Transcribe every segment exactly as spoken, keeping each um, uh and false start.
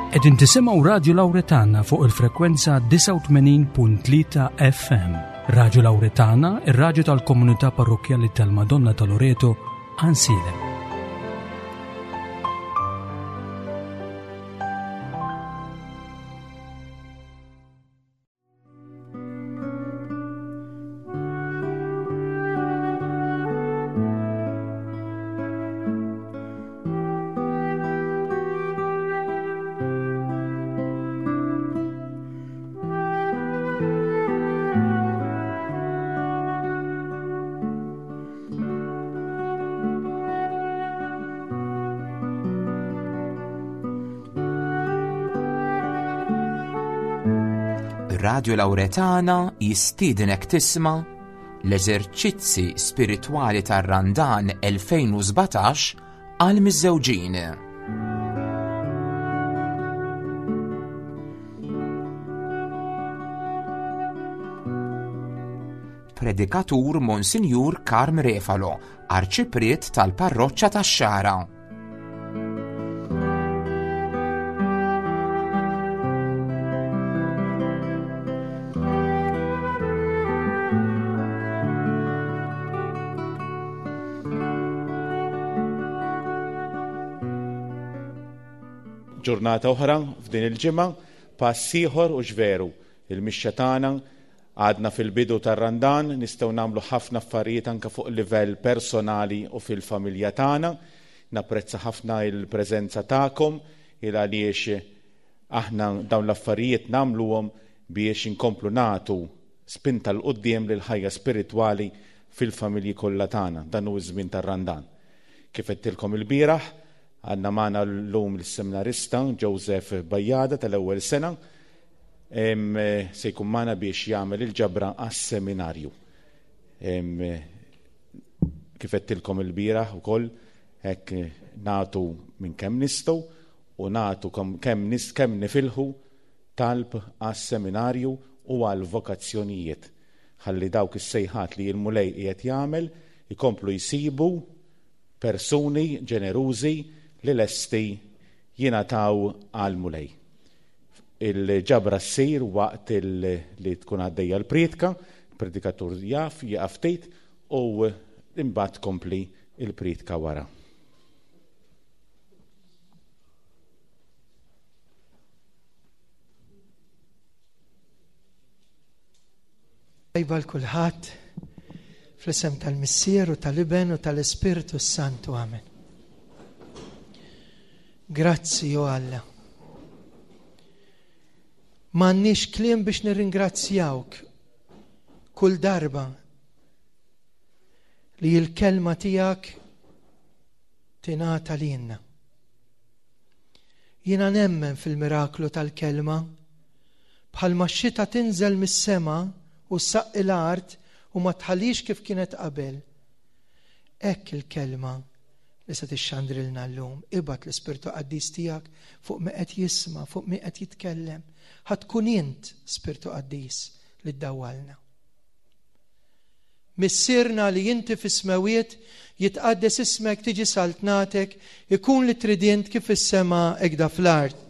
Qegħdin tisimgħu Radio Lauretana fuq il-frekwenza disgħa u tmenin punt tlieta F M. Radio Lauretana, ir-radju tal-komunità parrokkjali tal-Madonna ta' Loreto, Għajnsielem. Radio Lauretana jistiednek tisma' l-eżerċizzi spiritwali tar-Randan elfejn u sbatax għal miżżewġin. Predikatur Monsinjur Karm Refalo, Arċipriet tal-Parroċċa tax-Xagħra. Ġurnata oħra f'din il-ġimgħa, pass ieħor u ġveru. Il-mixja tagħna għadna fil-bidu tar-Randan, nistgħu nagħmlu ħafna affarijiet anke fuq livell personali u fil-familja tagħna. Napprezza ħafna il-preżenza tagħkom, il għaliex aħna dawn l-affarijiet nagħmluhom biex inkomplu nagħtu spinta l quddiem lil ħajja spiritwali fil-familji kollha tagħna. Dan hu ż-żmien tar-Randan. Kif għedtilkom il-bieraħ, għandna magħna llum l-seminarista Joseph Bajada tal-ewwel sena, em, se jkun magħna biex jagħmel il-ġabra għas-seminarju. Em, kif għedtilkom il-bieraħ ukoll, hekk nagħtu minn kemm nistgħu u nagħtu kemm nis-, kemm nifilħu talb għas-seminarju u għall-vokazzjonijiet. Ħalli dawk is-sejħat li l-Mulej qiegħed jagħmel ikomplu jsibu persuni ġenerużi li lesti jingħataw għall-Mulej. Il-ġabra ssir waqt il-, li tkun għaddejja l-priedka, il-predikatur jaf, jieqaf ftit u imbagħad tkompli il-priedka wara. Tajba l-kulħadd fl-isem tal-Missier u tal-Iben u tal-Ispirtu s-Santu. Amen. Grazzi, o Alla. M'għandniex kliem biex nirringrazzjawk kull darba li l-kelma tiegħek tingħata lilna. Jiena nemmen fil-miraklu tal-kelma, bħalma x-xita tinżel mis-sema u ssaqqi l-art u ma tħallix kif kienet qabel. Hekk il-kelma li se tixxandrilna llum, ibgħat l-Ispirtu Qaddis tiegħek fuq min qed jisma', fuq min qed jitkellem. Ħa tkun int, Spirtu Qaddis, li ddawwalna. Missierna li inti fis-smewwiet, jitqaddes ismek, tiġi saltnatek, ikun li trid int kif fis-sema hekk fl-art.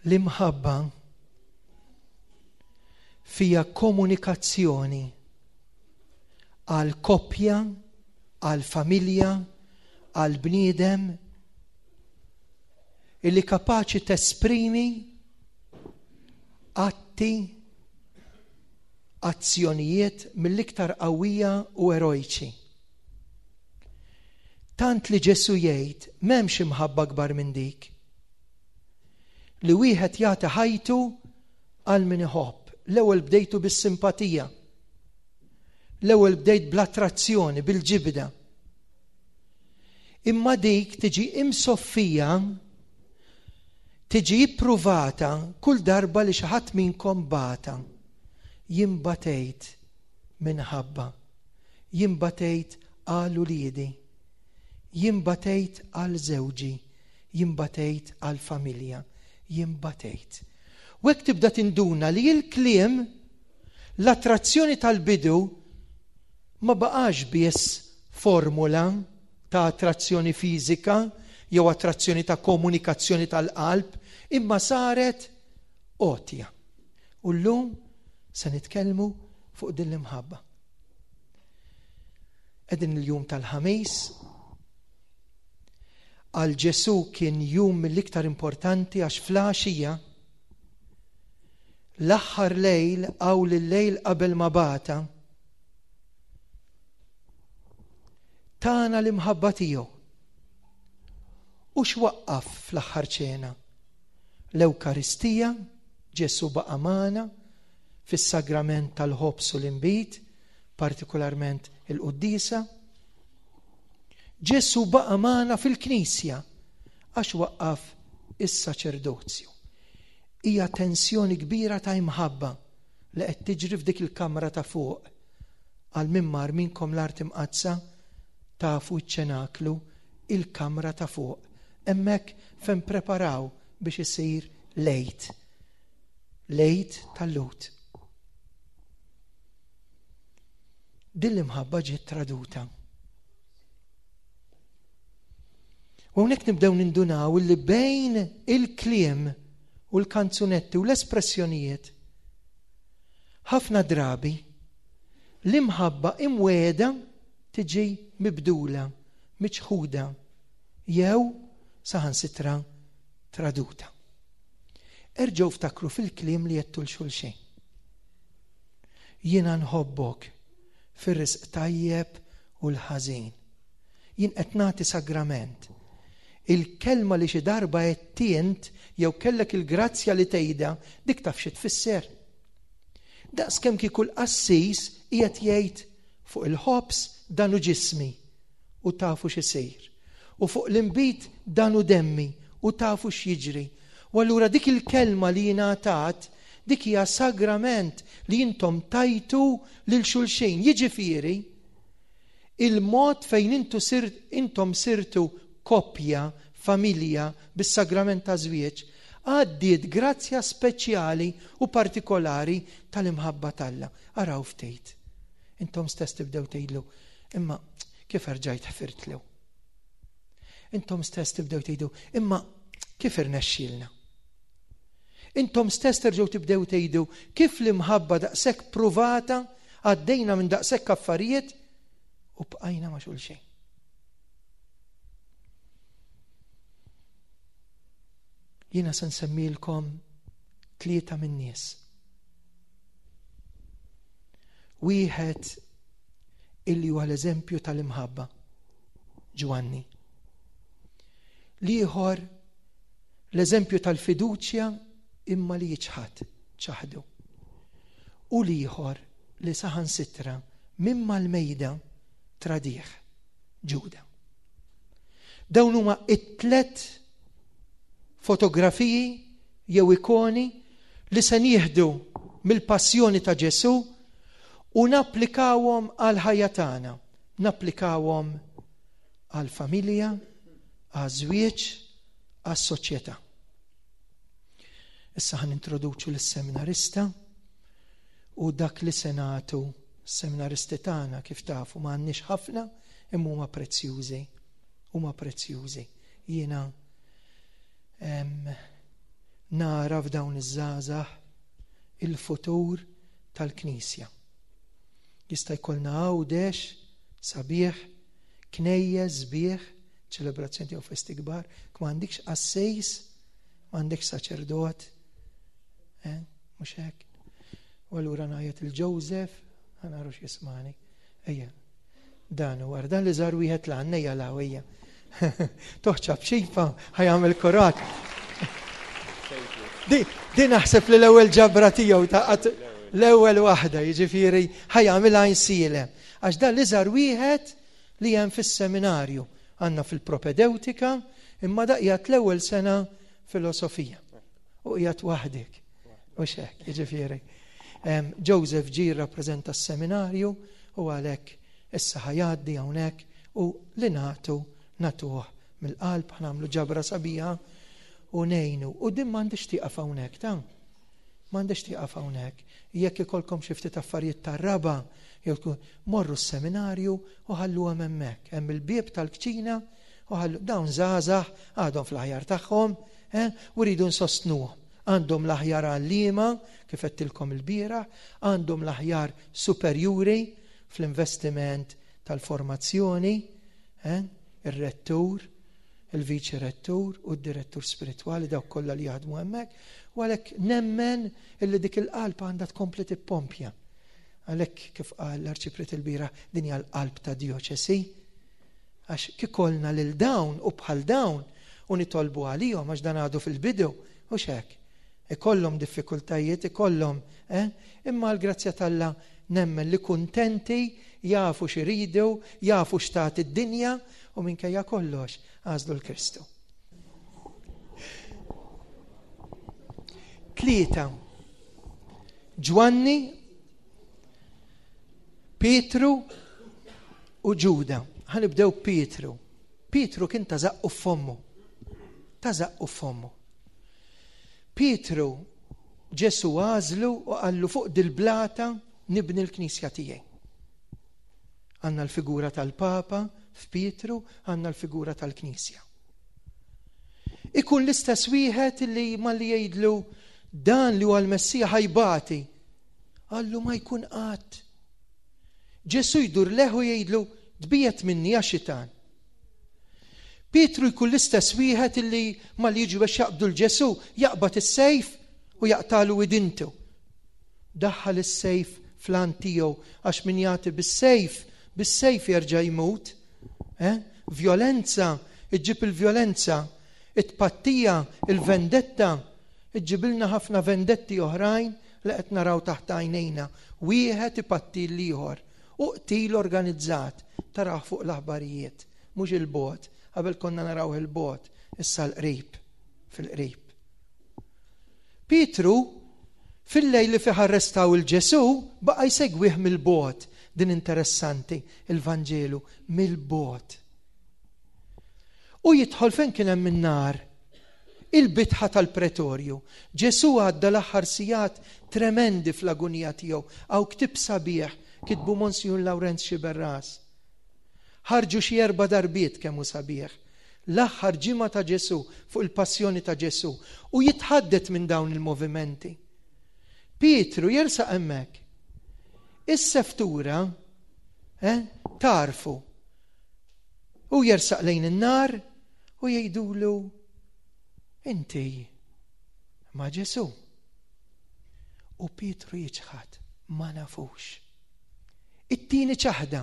L-imħabba fija komunikazzjoni għal koppja, għal familja, għal bniedem illi kapaċi tesprimi atti, azzjonijiet mill-iktar qawwija u erojċi. Tant li Ġesu jgħid m'hemmx imħabba kbar minn dik li wieħed jagħti ħajtu għal min iħobb. L-ewwel bdejtu bis-simpatija. L-ewwel bdejt bl-attrazzjoni, bil-ġibda. Imma dik tiġi imsoffija, tiġi ippruvata kull darba li xi ħadd minnkom bata. Jien batejt minħabba, jien batejt għal uliedi, jien batejt għal żewġi, jien batejt għal familja, jien batejt. U hekk tibda tinduna li l-kliem, l-attrazzjoni tal-bidu ma baqax biss formula ta' attrazzjoni fiżika jew attrazzjoni ta' komunikazzjoni tal-qalb, imma saret għotja. U llum se nitkellmu fuq din l-imħabba. Qegħdin il-jum tal-Ħamis. Għal Ġesù kien jum mill-iktar importanti għax fl-għaxija l-aħħar lejl għaw l-lejl qabel ma bata tana l-imħabba tiegħu. U x'waqqaf fl-aħħar ċena? L-Ewkaristija, Ġesù baqa' magħna fis-sagrament tal-ħobż u l-inbid, partikolarment il-quddiesa. Ġesù baqa' magħna fil-Knisja għax waqqaf is-saċerdozju. Hija tensjoni kbira ta' imħabba li qed tiġri f'dik il-kamra ta' fuq. Għal min mar minnkom l-Art Imqaddsa tafu ċ-ċenaklu, il-kamra ta' fuq. Hemmhekk fejn preparaw biex isir lejt. Lejt tal-Lut. Din l-imħabba ġiet traduta. U hawnhekk nibdew nindunaw li bejn il-kliem u l-kanzunetti u l-espressjonijiet ħafna drabi l-imħabba imweda tiġi mibdula, miċħuda jew saħansitra traduta. Erġgħu ftakru fil-kliem li jettu l-xulxin. Jiena nħobbok fir-risq tajjeb u l-ħażin. Jien qed nagħti sagrament. Il-kelma li xi darba qed int jew kellek il-grazzja li tgħidha, dik taf xi tfisser. Daqskemm kieku l-qassis qiegħed jgħid fuq il-ħobż dan hu ġismi u tafu x'isir. U fuq l-inbid dan hu demmi u tafu x'jiġri. U allura dik il-kelma li jingħatat, dik hija sagrament li intom tajtu lil xulxin. Jiġifieri, il-mod fejn intu sir, intom sirtu koppja, familja, bis-sagrament ta' żwieġ, għaddiet grazzja speċjali u partikolari tal-imħabba t'Alla. Araw ftit. Intom stess tibdew tgħidlu, imma kif erġajt ħfirtlu? Intom stess tibdew tgħidu, imma kif irnexxielna? Intom stess terġgħu tibdew tgħidu kif l-imħabba daqshekk pruvata, għaddejna minn daqshekk affarijiet u bqajna ma' xulxin. Jiena se nsemmilkom tlieta min-nies. Wieħed illi huwa l-eżempju tal-imħabba, Ġwanni. L-ieħor l-eżempju tal-fiduċja imma li jiċħad, ċaħdu. U l-ieħor li saħansitra mimma l-mejda tradih, Ġuda. Dawn huma it-tlet fotografiji jew ikoni li se nieħdu mill-passjoni ta' Ġesù u napplikawhom għal ħajja tagħna, napplikawhom għal familja, għaż-żwieġ, għas-soċjetà. Issa ħan introduċu lis-seminarista u dak li se nagħtu s-seminaristi tagħna kif tafu ma għandniex ħafna imma huma prezzjużi, huma prezzjużi. Jiena nara f'dawn iż-żgħażagħ il-futur tal-Knisja. Jista' jkollna Għawdex sabiħ, knejjes sbieħ, ċelebrazzjoni jew festi kbar, ma għandikx qassejs, ma għandekx saċerdot, eh, mhux hekk. U allura ngħajjat il-Joseph, ħanaru x'jismani. Ejja, dan huwa dan li żar wieħed l għandna ejja law ejja. Toħċa b'xifa ħajamel korat. Di naħseb li l-ewwel ġabra tiegħu ta' l-ewwel waħda, jiġifieri ħajamilha insielem. Għax dan li żar wieħed li hemm fis-seminarju, għandna fil-propedeutika, imma daqjat l-ewwel sena filosofija. U qiegħed waħdek. U xek, jiġifieri. Joseph ġie rappreżenta s-seminarju u għalhekk Issa ħa jgħaddi hawnhekk u li nagħtu nagħtuh mill-qalb, ħa nagħmlu ġabra sabiħa u ngħinu. U din m'għandix tieqaf hawnhekk ta' m'għandix tieqaf hawnhekk. Jekk ikolkom xi ftit affarijiet tar-raba', jew tkun morru s-seminarju u ħalluhom hemmhekk. Hemm il-bieb tal-kċina u ħallu dawn żgħażagħ għadhom fl-aħjar tagħhom, eh, u rridu nsostnuhom. Għandhom l-aħjar għalliema, kif għedtilkom il-bieraħ, għandhom l-aħjar superjuri fl-investiment tal-formazzjoni, eh, ir-rettur, il-viċi rettur u d-direttur spiritwali, dawk kollha li jaħdmu hemmhekk, u għalhekk nemmen illi dik il-qalb għandha tkompli tippompja. Għalhekk kif qal l-Arċipriet il-bieraħ, din hija l-qalb ta' djoċesi, għax kikolna lil dawn u bħal dawn u nitolbu għalihom għax dan għadu fil-bidu, u xek. Ikollhom diffikultajiet, ikollhom, eh? Imma l-grazzja t'Alla nemmen li kuntenti, jafu x'iridu, jafu x'tat id-dinja u minkejja kollox għażlu l-Kristu. Tlieta. Ġwanni, Pietru u Ġuda. Ħa nibdew Pietru. Pietru kien ta' żaqqu f'fommu. Ta' żaqqu f'fommu. Pietru Ġesu għażlu u qallu fuq dil-blata nibni l-knisja tiegħi. Għandna l-figura tal-Papa f'Pietru, għandna l-figura tal-Knisja. Ikun l-istess wieħed li malli jgħidlu dan li huwa l-Messija ħajbati, qallu ma jkun qatt. Ġesu jdur leħu jgħidlu tbiegħed minni ja xitan. Pietru jkun l-istess wieħed li malli jiġu biex jaqbdu l-Ġesu jaqbad is-sejf u jaqtalu widintu. Daħħal is-sejf fl-għan tiegħu għax min jagħti bis-sejf, bis-sejf jerġa' jmut. Eh? Vjolenza, iġġib il-vjolenza, it-pattija, il-vendetta, iġġibilna ħafna vendetti oħrajn li qed naraw taħt għajnejna. Wieħed ipatti l-ieħor. U qtil organizzat taraw fuq l-aħbarijiet, mhux il-bogħod. Qabel konna naraw il-bogħod, issa l-qrib, fil-qrib. Pietru, fil-lejl li fih arrestaw il-Ġesu, baqa' jsegwih mill-bogħod. Din interessanti, il-Vanġelu, mill-bogħod. U jidħol fejn kien hemm in-nar, il-bitħa tal-pretorju. Ġesu għadda l-aħħar sigħat tremendi fl-agunija tiegħu. Hawn ktieb sabiħ kitbu Monsignor Lawrenz Sciberras. Ħarġu xi erba' darbiet kemm hu sabiħ. L-aħħar ġimgħa ta' Ġesu fuq il-passjoni ta' Ġesu u jitħaddet minn dawn il-movimenti. Pietru jersaq hemmhekk. Is-seftura, eh, tarfu. U jersaq lejn in-nar u jgħidulu inti ma' Ġesu. U Pietru jiċħad, ma nafux. It-tieni ċaħda,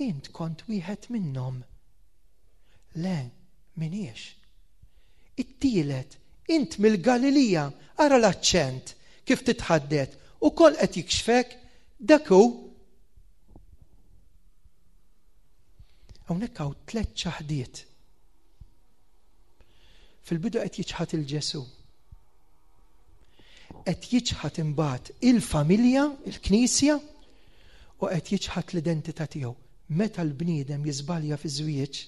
int kont wieħed minnhom. Le, miniex. It-tielet, int mill-Galilija, ara l-aċċent kif titħaddet u kol qed jikxfek, dak hu. Hawnhekk hawn tliet ċaħdiet. Fil-bidu qed jiċħad il-Ġesu. Qed jiċħad imbagħad il-familja, il-Knisja, u qed jiċħad l-identità tiegħu. Meta l-bniedem jiżbalja fi żwieġ,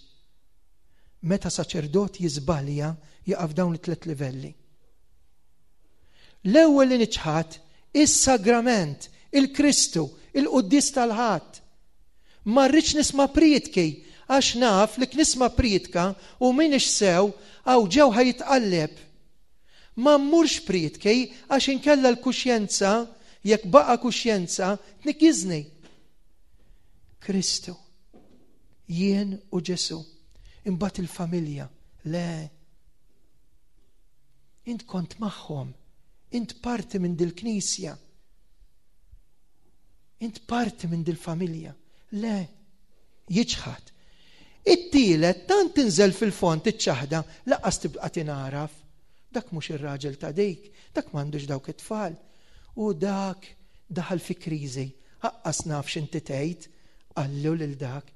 meta saċerdot jiżbalja, jaqaf dawn it-tliet livelli. L-ewwel li niċħad is-sagrament, il-Kristu, il-Quddies tal-Ħadd. Ma rridx nisma' prietki, għax naf li nisma' prietka u minix sew għaw ġew ħajitqalleb. Ma mmurx prietki għax inkella l-kuxjenza, jekk baqa' kuxjenza, tnikkiżni. Kristu, jien u Ġesu, imbagħad il-familja, le. Int kont magħhom, int parti minn dil-knisja, int parti minn dil-familja, le, jiċħad. It-tielet tant tinżel fil-fond iċ-ċaħda, laqqas tibqa' tingħaraf. Dak mhux ir-raġel ta' dik, dak m'għandux dawk it-tfal. U dak daħal fi kriżi, aqqas naf x'inti tgħid, qallu lil dak.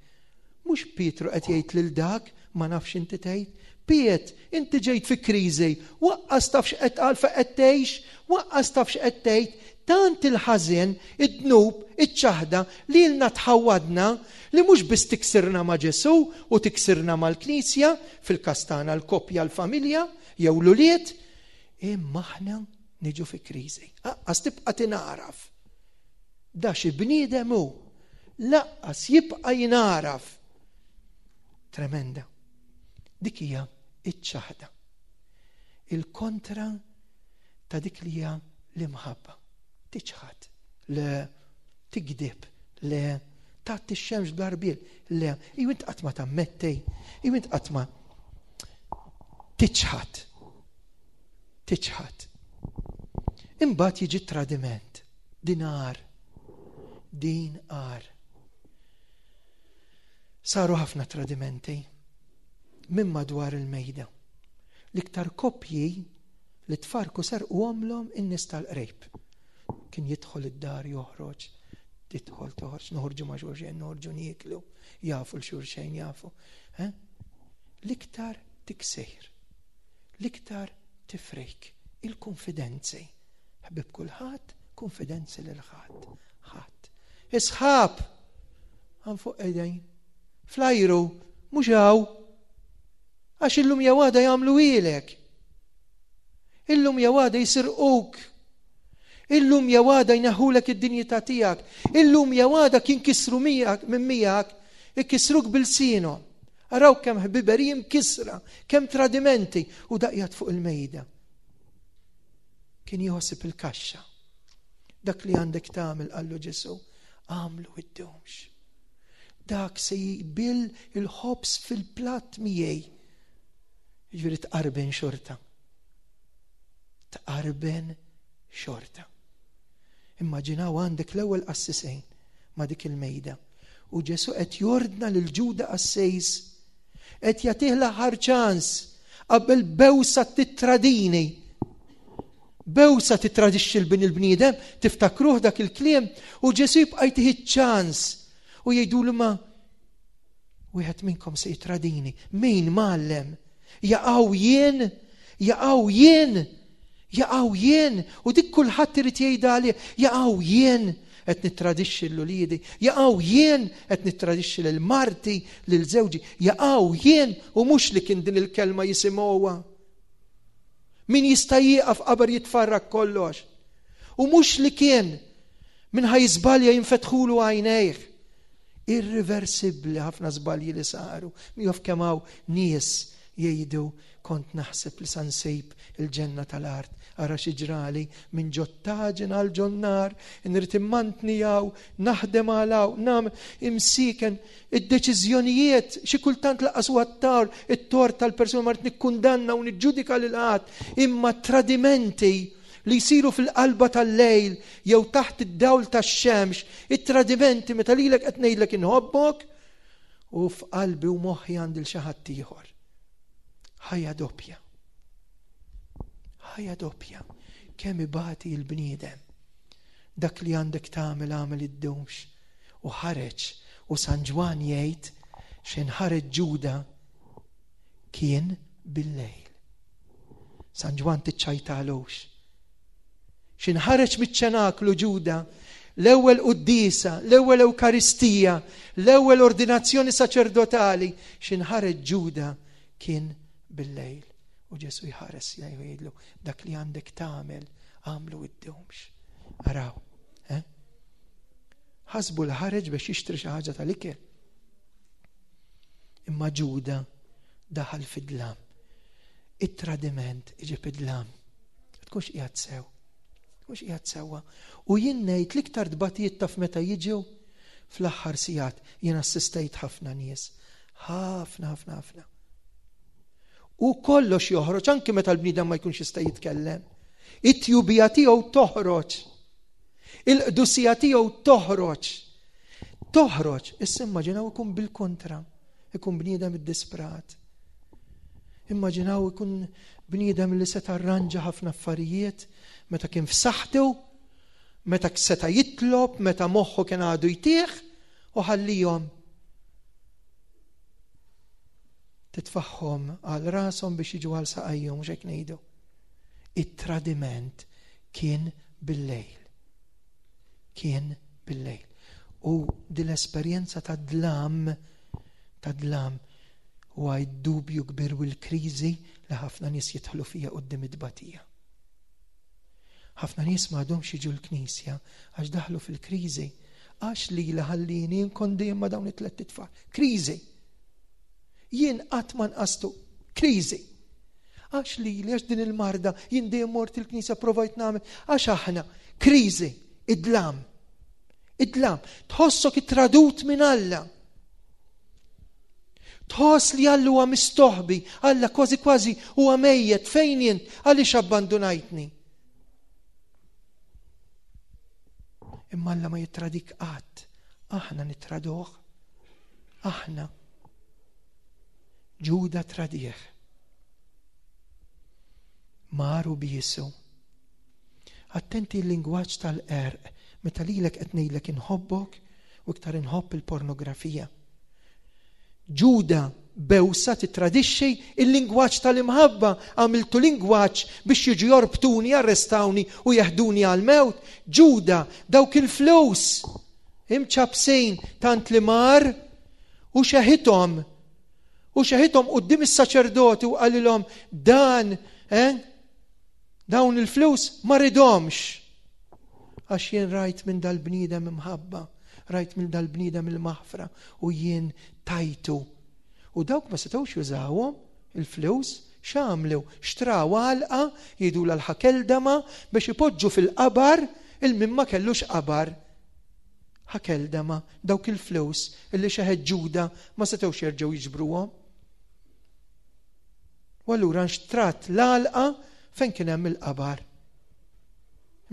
Mhux Pietru qed jgħid lil dak, ma nafx inti tgħid. Piet, inti ġejt fi kriżi, waqqas taf x'qed għal fejn qed tgħix, waqqas taf x'qed tgħid, Tant il-ħażen, id-dnub, iċ-ċaħda li lna tħawwadna li mhux biss tiksirna ma' Ġesù u tiksirna mal-Knisja, fil-każ tagħna l-koppja, l-familja, jew l-ulied, imma aħna niġu fi kriżi. Aqqas tibqa' tingħaraf. Da xi bniedem hu, laqqas jibqa' jingħaraf. Tremenda. Dik hija iċ-ċaħda. Il-kontra ta' dik li hija l-imħabba. Tiċħad, le tigdib, le tagħti x-xemx bl-arbiel, le jew int qatt ma tammetti, jew int qatt ma tiċħad. Tiċħad. Imbagħad jiġi tradiment. Din agħar. Din agħar. Saru ħafna tradimenti minn madwar il-mejda. L-iktar koppji li tfarku serqu għomlhom in-nies tal-qrejb. Kien jidħol id-dar joħroġ, tidħol toħroġ, noħorġu ma' xulxin, noħorġu nieklu, jafu l-xulxin, jafu. Eh? L-iktar tiksir, l-iktar tifrik, il-konfidenzi. Ħbib kulħadd, konfidenzi lil ħadd. Ħadd. Isħab għan fuq qegħdin. Flajru, mhux hawn. Għax illum jew għada jagħmlu ilek. Illum jew għada jisirquk. Illum jew għada jneħħulek id-dinjità tiegħek. Illum jew għada kien kisru miegħek minn miegħek, ikisruk bil-sienhom. Araw kemm ħbiberiji mkisra, kemm tradimenti u daqjat fuq il-mejda. Kien jħossib il-kaxxa. Dak li għandek tagħmel, qallu Ġesù, għamlu iddumx. Dak se jbil il-ħobż fil-platt miegħi. Jiġifieri tqarben xorta. Tqarben xorta. Immaġinaw għandek l-ewwel qassisejn ma' dik il-mejda. U Ġesù qed jordna lil Ġuda qassejs, qed jagħtih l-aħħar ċans qabel bewsa titradini. Bewsa titradixxi l-bin il-bniedem, tiftakruh dak il-kliem, u Ġesù jibqa' jtih iċ-ċans u jgħidulu ma wieħed minnkom se jitradini. Min mgħallem? Jaqgħu jien, jaqgħu jien, jaqgħu jien, u dik kulħadd irid jgħidha għalih, jaqgħu jien qed nittradixxi lil uliedi, jaqgħu jien qed nittradixxi lil marti, lil żewġi, jaqgħu jien, u mhux li kien din il-kelma jisimgħuha. Min jista' jieqaf qabel jitfarrak kollox. U mhux li kien min ħaj żbalja jinfetħulu għajnejh. Irreversibbli ħafna żbalji li saru. Mi jaf kemm hawn nies jgħidu kont naħseb li sa nsib il-ġenna tal-art, ara xi ġrali minn ġottaġen għal ġonnar, nrid immantni hawn, naħdem għal hawn, nam imsiken id-deċiżjonijiet xi kultant laqas huwa t-tar, it-tort tal-persuna ma rrid nikkundanna u niġġudika lil ħadd, imma tradimenti li jsiru fil-qalba tal-lejl jew taħt id-dawl tax-xemx, it-tradimenti meta lilek qed ngħidlek inħobbok u f'qalbi u moħħi għandi l xi ħadd ieħor. Ħajja doppja. Ħajja doppja. Kemm ibati l-bniedem. Dak li għandek tagħmel għamel iddumx. U ħareġ, u San Ġwann jgħid xejn ħareġ Ġuda kien bil-lejl. San Ġwann tiċċajtalux. Xejn ħareġ miċ-ċenaklu Ġuda, l-ewwel quddiesa, l-ewwel Ewkaristija, l-ewwel ordinazzjoni saċerdotali, xejn ħareġ Ġuda kien bil-lejl. U Ġesu jħares lejh u jgħidlu dak li għandek tagħmel għamlu iddumx. Araw, eh? Ħasbu l-ħareġ biex jixtri xi ħaġa tal-ikel. Imma Ġuda daħal fid-dlam. It-tradiment iġib id-dlam. Tkunx qiegħed sew. Tkunx qiegħed sewwa. U jien ngħid l-iktar tbatijiet taf meta jiġu fl-aħħar sigħat. Jien assistejt ħafna nies. Ħafna, ħafna, ħafna. U kollox joħroġ, anki meta l-bniedem ma jkunx jista' jitkellem. It-tjubija tiegħu toħroġ. Il-qdusija tiegħu toħroġ. Toħroġ. Issa immaġinaw ikun bil-kontra. Ikun bniedem iddisprat. Immaġinaw ikun bniedem li seta' arranġa ħafna affarijiet meta kien f'saħħtu, meta seta' jitlob, meta moħħu kien għadu jtieħ, u ħallihom titfaħħom għal rashom biex jiġu għal saqajhom, mhux hekk ngħidu. It-tradiment kien bil-lejl. Kien bil-lejl. U din l-esperjenza ta' dlam, ta' dlam, u għaj dubju kbir u l-kriżi li ħafna nies jidħlu fija quddiem it-tbatija. Ħafna nies ma għadhomx jiġu l-knisja għax daħlu fil-kriżi, għax li ħallini nkun dejjem ma' dawn it-tliet itfal. Kriżi. Jien qatt ma nqastu. Kriżi. Għax li għax din il-marda jien dejjem mort il-knisja provajt nagħmel, għax aħna kriżi, id-dlam. Id-dlam. Tħossok ittradut minn Alla. Tħoss li Alla huwa mistoħbi, Alla kważi kważi huwa mejjet, fejn int, għaliex abbandunajtni? Imma Alla ma jittradik qatt, aħna nittraduh, aħna. Ġuda tradih. Maru bisu. Attenti l-lingwaġġ tal-qerq, meta lilek qed ngħidlek inħobbok u iktar inħobb il-pornografija. Ġuda bewsa titradixxi il-lingwaġġ tal-imħabba, għamiltu lingwaġġ biex jiġu jorbtuni, arrestawni u jeħduni għal-mewt. Ġuda dawk il-flus imċabsejn tant li mar u xeħithom u xeħithom quddiem is-saċerdoti u qalilhom dan, eh, dawn il-flus ma ridhomx. Għax jien rajt minn dal-bniedem imħabba, rajt minn dal-bniedem il-maħfra u jien tajtu. U dawk ma setgħux jużawhom il-flus, x'għamlu? Xtraw għalqa, jgħidulha l-ħakeldama biex ipoġġu fil-qabar il-min ma kellux qabar. Ħakeldama, dawk il-flus illi xeħet Ġuda ma setgħux jerġgħu jiġbruhom. U allura nxtrat l-għalqa fejn kien hemm il-qabar.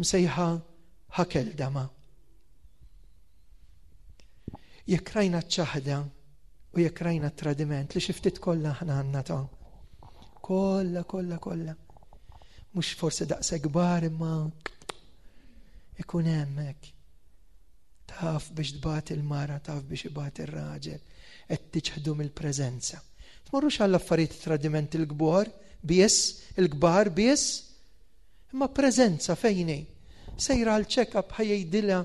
Msejħa ħakeldama. Jekk rajna ċ-ċaħda u jekk rajna tradiment li xi ftit kollha aħna għandna ta' kollha, kollha, kollha. Mhux forsi daqshekk kbar imma ikun hemmhekk. Taf biex tbati l-mara, taf biex ibati r-raġel, qed tiċħdu mill-preżenza. Tmorrux għall affarijiet tradiment il-kbar biss, il-kbar biss, imma preżenza fejn hi. Sejra għal check-up ħajdilha,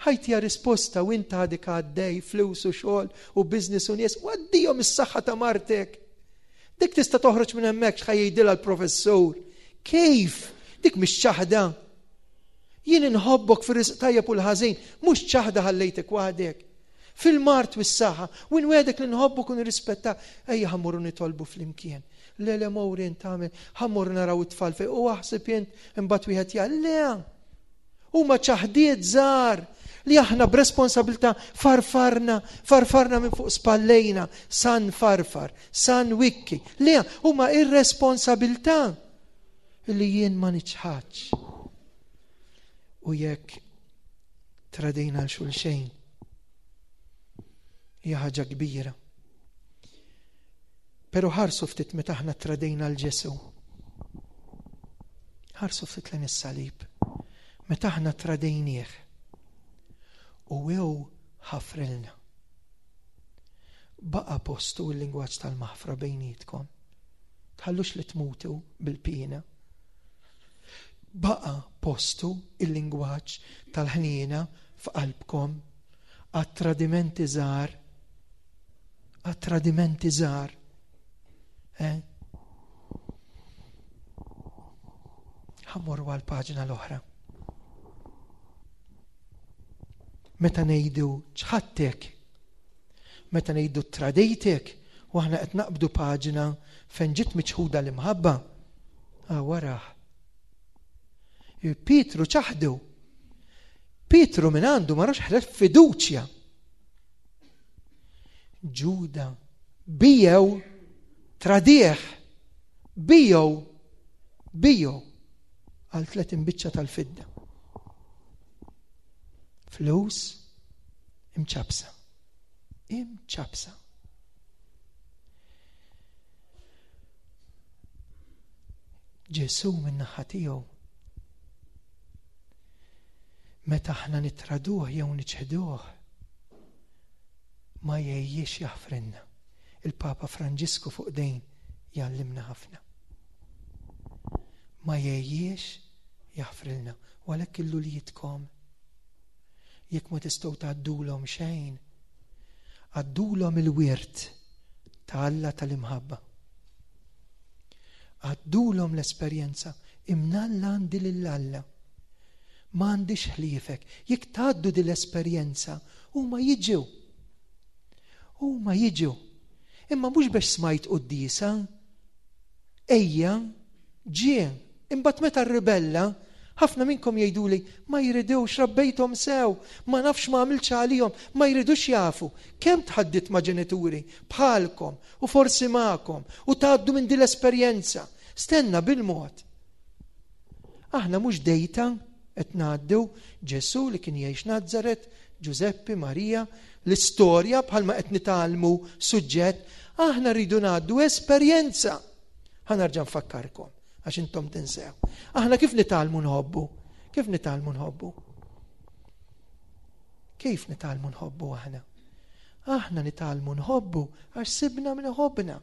ħajtija risposta u inta għadek għaddej flus u xogħol u business u nies, u għaddihom is-saħħa ta' martek. Dik tista' toħroġ minn hemmhekk x'ħajdilha l-professur. Kif? Dik mhix ċaħda. Jien inħobbok fir-risq tajjeb u l-ħażin, mhux ċaħda ħallejtek waħdek. Fil-mart u s-saħħa, u nwedek li nħobbok u nirrispetta, ejja ħammurru nitolbu flimkien. Le le mowrin tagħmel, ħammurru naraw it-tfal fejn u aħseb int imbagħad wieħed jgħid le. Huma ċaħdiet żgħar li aħna b'responsabilità farfarna, farfarna minn fuq spallejna, san farfar, san wikki. Le, huma irresponsabilità li jien ma niċħadx. U jekk tradejna l xulxejn, hija ħaġa kbira. Però ħarsu ftit meta aħna tradejna l Ġesù. Ħarsu ftit lejn is-salib. Meta aħna tradejnieh u jew ħafrilna. Baqa postu l-lingwaġġ tal-maħfra bejnietkom. Tħallux li tmutu bil-pina. Baqa postu il-lingwaġġ tal-ħniena f'qalbkom għat-tradimenti żgħar, għat-tradimenti żgħar. Eh? Ħammorru għall-paġna l-oħra. Meta ngħidu ċħattek, meta ngħidu tradejtek, u aħna qed naqbdu paġna fejn ġiet miċħuda l-imħabba, ah, waraħ. Pietru ċaħdu. Pietru minn għandu ma rax ħlef fiduċja. Ġuda bijew tradieh, bijew, bijew għal tletin biċċa tal-fidda. Flus imċabsa. Imċabsa. Ġesù min-naħa tiegħu meta aħna nitraduh jew niċħduh ma jgħejjiex jaħfrilna. Il-Papa Franġisku fuq dejn jgħallimna ħafna. Ma jgħejjiex jaħfrilna. U għalhekk illu li jitkom Jekk ma tistgħu tgħaddulhom xejn, għaddulhom il-wirt ta' Alla tal-imħabba. Għaddulhom l-esperjenza imnalla għandi lil Alla. Ma għandix ħliefek. Jekk tgħaddu din l-esperjenza, huma jiġu. Huma jiġu. Imma mhux biex smajt quddiesa. Ejja, ġie. Imbagħad meta rribella, ħafna minnkom jgħiduli ma jridux, rabbejthom sew, ma nafx ma għamiltx għalihom, ma jridux jafu. Kemm tħaddit ma' ġenituri bħalkom u forsi magħkom u tgħaddu minn din l-esperjenza. Stenna bil-mod. Aħna mhux dejta qed ngħaddu Ġesù li kien jgħix Nazaret, Ġużeppi, Marija, l-istorja bħalma qed nitgħallmu suġġett, aħna rridu ngħaddu esperjenza. Ħa nerġa' nfakkarkom għax intom tinsew. Aħna kif nitgħallmu nħobbu? Kif nitgħallmu nħobbu? Kif nitgħallmu nħobbu aħna? Aħna nitgħallmu nħobbu għax sibna min iħobbna.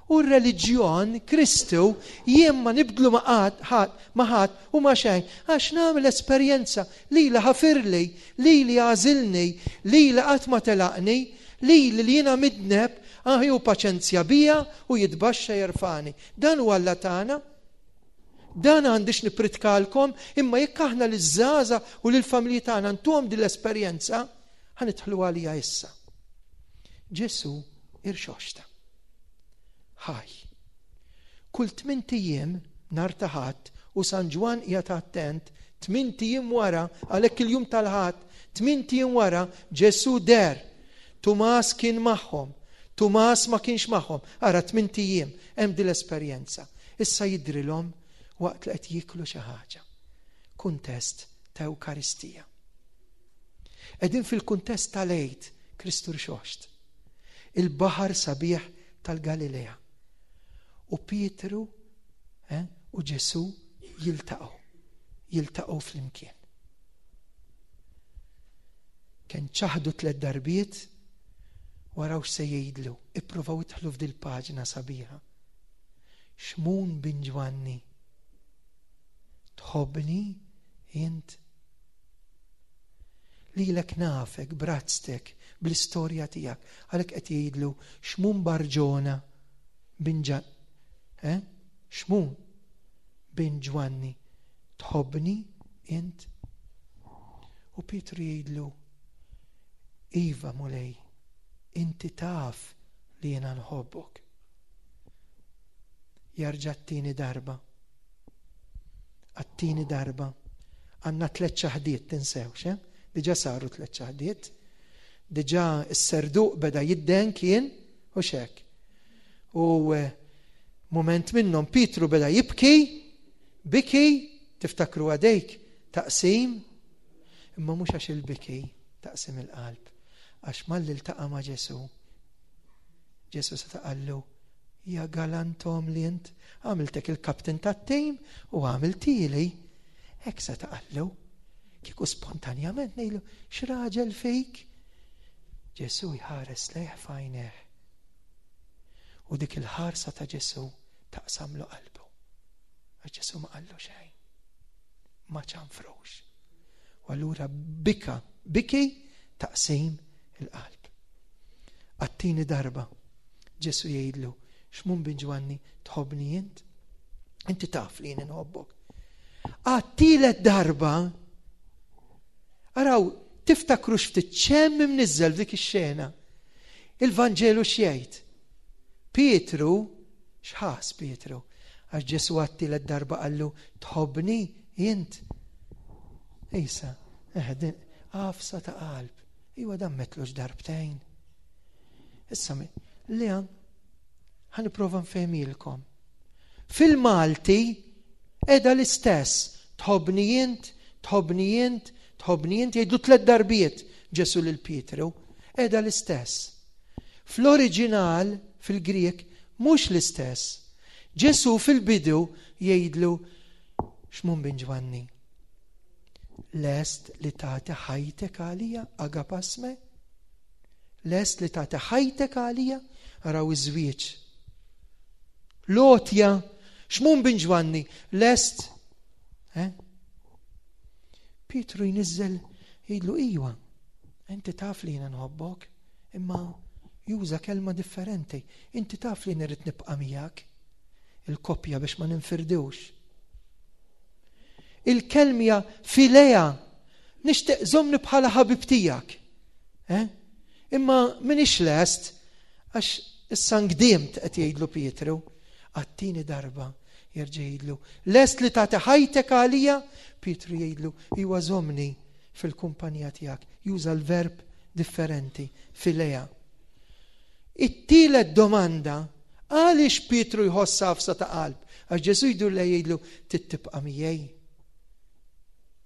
U r-reliġjon, Kristu, jien ma nibdlu ma' ħadd, ma' ħadd u ma' xejn, għax nagħmel esperjenza li li ħafirli, li li għażilni, li li qatt ma telaqni, li li jiena midneb, aħju paċenzja bija u jitbaxxa jerfani. Dan huwa Alla tagħna. Dan għandix nipritkalkom, imma jekk aħna liż-żgħażagħ u lill-familji tagħna ntuhom din l-esperjenza, ħa nidħlu għalija issa. Ġesu irxoxta. Ħaj. Kull tmint ijiem nhar ta' Ħadd u San Ġwann qiegħed attent, tmint ijiem wara, għalhekk il-jum tal-Ħadd, tmint ijiem wara Ġesu der. Tumas kien magħhom, Tumas ma kienx magħhom. Ara tmint ijiem hemm din l-esperjenza. Issa jidrilhom waqt li qed jieklu xi ħaġa. Kuntest ta' Ewkaristija. Qegħdin fil-kuntest tal-Għid, Kristu rxoxt. Il-baħar sabiħ tal-Galilea. U Pietru, eh, u Ġesu jiltaqgħu, jiltaqgħu flimkien. Kien ċaħdu tliet darbiet, waraw x'se jgħidlu, ippruvaw idħlu f'dil paġna sabiħa. Xmun bin Ġwanni, tħobbni int? Lilek nafek, brazztek, bl-istorja tiegħek, għalhekk qed jgħidlu Xmun Barġona bin Ġan, eh? Xmun bin Ġwanni, tħobbni int? U Pietru jgħidlu, Iva Mulej, inti taf li jiena nħobbok. Jarġa' t-tieni darba. Għat-tieni darba. Għandna tliet ċaħdiet, tinsewx, eh? Diġà saru tliet ċaħdiet. Diġà s-serduq beda jidden kien u xek. U, eh, moment minnhom Pietru beda jibki, biki, tiftakru għadejk, taqsim, imma mhux għax il-biki taqsim il-qalb, għax malli ltaqa' ma' Ġesu, Ġesu se taqallu, ja galantom li int, għamiltek il-kapten tat-tim u għamiltili. Hekk se taqallu. Kieku spontanjament ngħidlu, x'raġel fik? Ġesu jħares lejh f'għajnejh. U dik il-ħarsa ta' Ġesu taqsamlu qalbu. Għax Ġesu ma qallu xejn. Ma ċanfrux. U allura bika, biki taqsim il-qalb. Għat-tieni darba Ġesu jgħidlu, Xmun bin Ġwanni, tħobbni int? Inti taf li jien inħobbok. Għat-tielet darba, araw, tiftakru x'ftit ċemm imniżżel f'dik ix-xena. Il-Vanġelu x'jgħid? Pietru, x'ħas Pietru? Għax Ġesu għat-tielet darba qallu, tħobbni int? Ejsa, eh, għafsa ta' qalb. Iwa dan metlux darbtejn. Issa, li għan, ħa nipprova nfehmilkom. Fil-Malti edha l-istess, tħobbni int, tħobbni int, tħobbni int, jgħidu tliet darbiet Ġesu lil Pietru, edha l-istess. Fl-oriġinal, fil-Grek, mhux l-istess. Ġesu fil-bidu jgħidlu Xmun bin Ġwanni, lest li tagħti ħajtek għalija, agapasme? Lest li tagħti ħajtek għalija? Araw iż-żwieġ. Lotja, Xmun bin Ġwanni, lest? Eh? Pietru jniżżel, Jgħidlu iwa, inti taf li jiena nħobbok, imma juża kelma differenti. Inti taf li nirrid nibqa' miegħek. Il-koppja biex ma ninfirdux. Il-kelmja filea, nixtieq żommni bħala ħabib tiegħek. Eh? Imma m'iniex lest għax issa ngdimt, qed jgħidlu Pietru. Għat-tieni darba jerġa' jgħidlu, lest li tagħti ħajtek għalija? Pietru jgħidlu, iwa, żommni fil-kumpanija tiegħek. Juża l-verb differenti, filea. It-tielet domanda, għaliex Pietru jħoss għafsa ta' qalb? Għax Ġesu jdur lejh jgħidlu, tibqa' miegħi.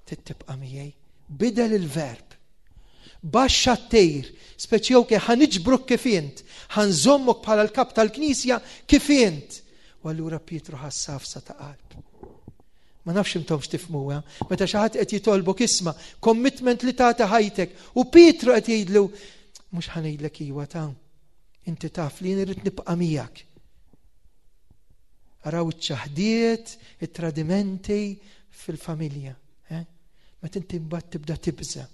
Tibqa' miegħi. Bidel il-verb. Baxxa t-tir, speċi ok, ħa niġbruk kif int, ħa nżommok bħala l-kap tal-knisja kif int. U allura Pietru ħass għafsa ta' qalb. Ma nafx intomx tifhmuha, meta xi ħadd qed jitolbok, isma', commitment li tagħti ħajtek u Pietru qed jgħidlu, mhux ħa ngħidlek iwa ta', inti taf li jien nibqa' miegħek. Araw iċ-ċaħdiet, it-tradimenti fil-familja. Eh? Meta inti mbagħad tibda tibża,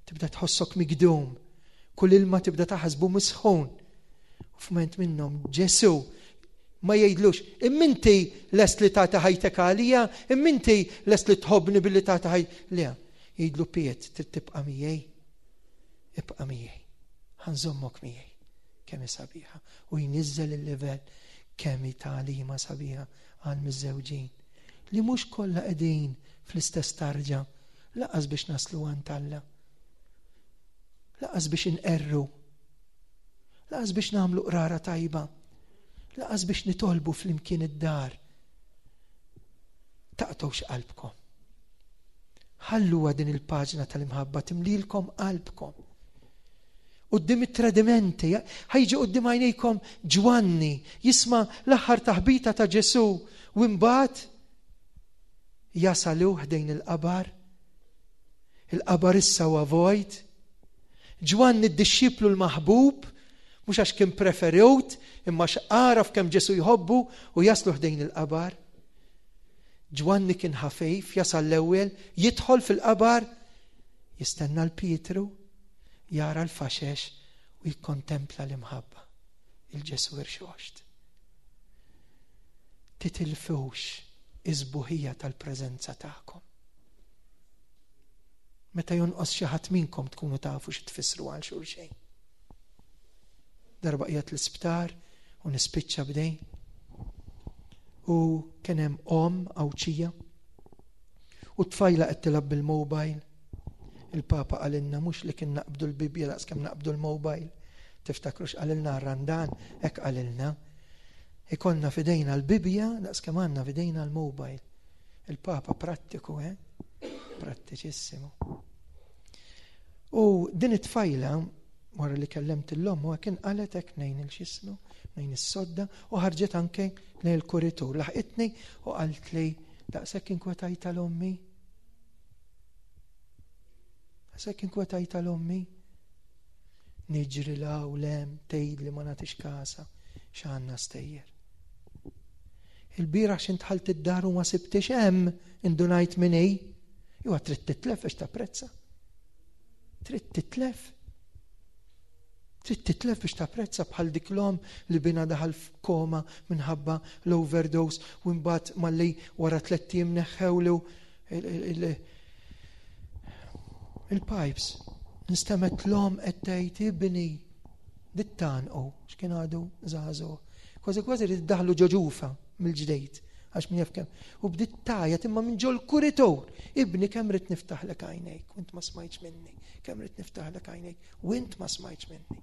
tibda tħossok migdum, kull ilma tibda taħsbu misħun. U f'mument minnhom Ġesu ma jgħidlux, imma inti lest li tagħti ħajtek għalija, imma inti lest li tħobbni billi tagħti ħajtek. Le, jgħidlu Piet, trid tibqa' miegħi. Ibqa' miegħi. Ħa nżommok miegħi. Kemm sabiħa. U jniżżel il-livell. Kemm tagħlima sabiħa għal miżżewġin. Li mhux kollha qegħdin fl-istess tarġa, lanqas biex naslu għand Alla. Lanqas biex inqerru. Lanqas biex nagħmlu qrara tajba. Lanqas biex nitolbu flimkien id-dar. Taqtgħux qalbkom. Ħalluha din il-paġna tal-imħabba timlilkom qalbkom. Quddiem it-tradimenti, ħa jiġi quddiem għajnejkom Ġwanni, jisma' l-aħħar taħbita ta' Ġesu u mbagħad jasalu ħdejn il-qabar. Il-qabar issa huwa vojt. Ġwanni d-dixxiplu l-maħbub, mhux għax kien preferut, imma għaraf kemm Ġesu jħobbu, u jaslu ħdejn il-qabar. Ġwanni kien ħafejf, jasal l-ewwel, jidħol fil-qabar, jistenna l-Pietru, jara l-faxex u jikkontempla l-imħabba, il-Ġesu irxoxt. Titilfux is-sbuħija tal-preżenza tagħkom. Meta jonqos xi ħadd minnkom tkunu tafu xi tfissru għal xulxejn. Darba qiegħed l-isptar u nispiċċa b'dejn. U kien hemm omm Għawdxija u tfajla qed tilgħab bil-mobile. Il-Papa qalilna mhux li kien naqbdu l-Bibja daqs kemm naqbdu l-mobile. Tiftakrux qalilna Randan, hekk qalilna. Ikollna f'idejna l-Bibja daqs kemm għandna f'idejna l-mobile. Il-Papa prattiku, eh? Prattiċissimu. U din it-tfajla, wara li kellemt l-omm, u kien qalet hekk nejn il-xismu, nejn is-sodda, u ħarġet anke lejn il-kuritur. Laħqitni u qalt li daqshekk inkwetajt tal-ommi. Daqshekk inkwetajt tal-ommi. Niġri la u lem, tgħid li ma nagħtix kasa, x'għandna stejjer. Il-bieraħ x'int dħalt id-dar u ma sibtix hemm, indunajt min hi. Iwa trid titlef biex tapprezza. Trid titlef. Trid titlef biex tapprezza, bħal dik l-omm li binha daħal f'koma minħabba l-overdose u mbagħad malli wara tliet ijiem neħħewlu il-pipes. Instemgħet l-omm qed tgħid, ibni, dittanqu, x'kien għadu żagħżugħ. Kważi kważi rid daħlu ġo ġufha mill-ġdejt, għax min jaf kemm. U bdiet tgħajjat imma minn ġol kuritur. Ibni, kemm rid niftaħlek għajnejk, u int ma smajtx minni. Kemm rid niftaħlek għajnejk, u int ma smajtx minni.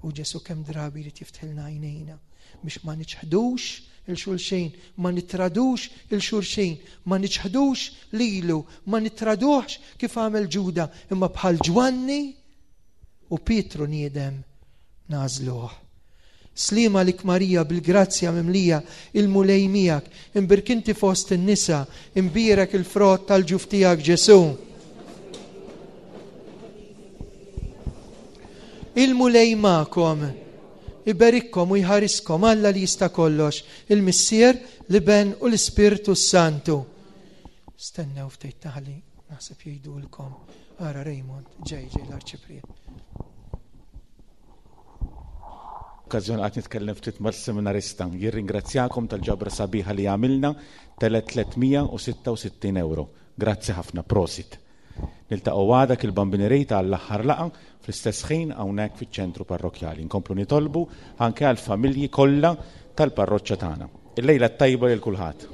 U Ġesu kemm drabi jrid jiftħilna għajnejna biex ma niċħdux 'il xulxin, ma nitradux 'il xulxin, ma niċħdux lilu, ma nitraduħx kif għamel Ġuda, imma bħal Ġwanni u Pietru niedem nagħżluh. Sliem għalik Marija, bil-grazzja mimlija, il-Mulej miegħek, imbierka inti fost in-nisa, imbierek il-frott tal-ġuf tiegħek Ġesu. Il-Mulej magħkom, iberikkom u jħariskom Alla li jista' kollox, il-Missier, l-Iben u l-Ispirtu Santu. Stennew ftit taħli, naħseb jgħidulkom Ara Raymond, ġej ġej l-arċipriet. Okkażjoni qed nitkellem ftit mal-seminarista. Jirringrazzjakom tal-ġabra sabiħa li għamilna telet tliet mija u sitta u sittin euro. Grazzi ħafna, prosit. Niltaqgħu għada il-Bambin Rejta għall-aħħar laqgħa fl-istess ħin hawnhekk fiċ-ċentru parrokkjali. Nkomplu nitolbu anke għall-familji kollha tal-parroċċa tagħna. Il-lejla t-tajba lil kulħadd.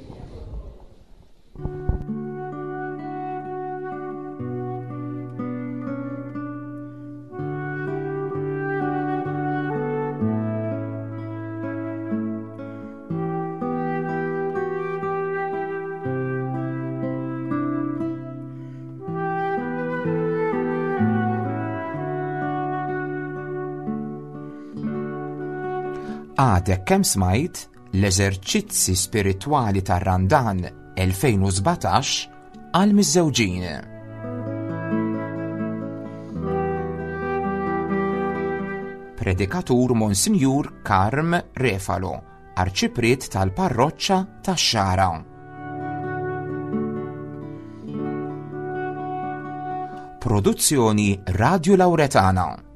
Għadek kemm smajt l-eżerċizzi spiritwali tar-Randan elfejn u sbatax għal miżżewġin. Predikatur Monsinjur Karm Refalo, Arċipriet tal-Parroċċa tax-Xagħra. Produzzjoni Radio Lauretana.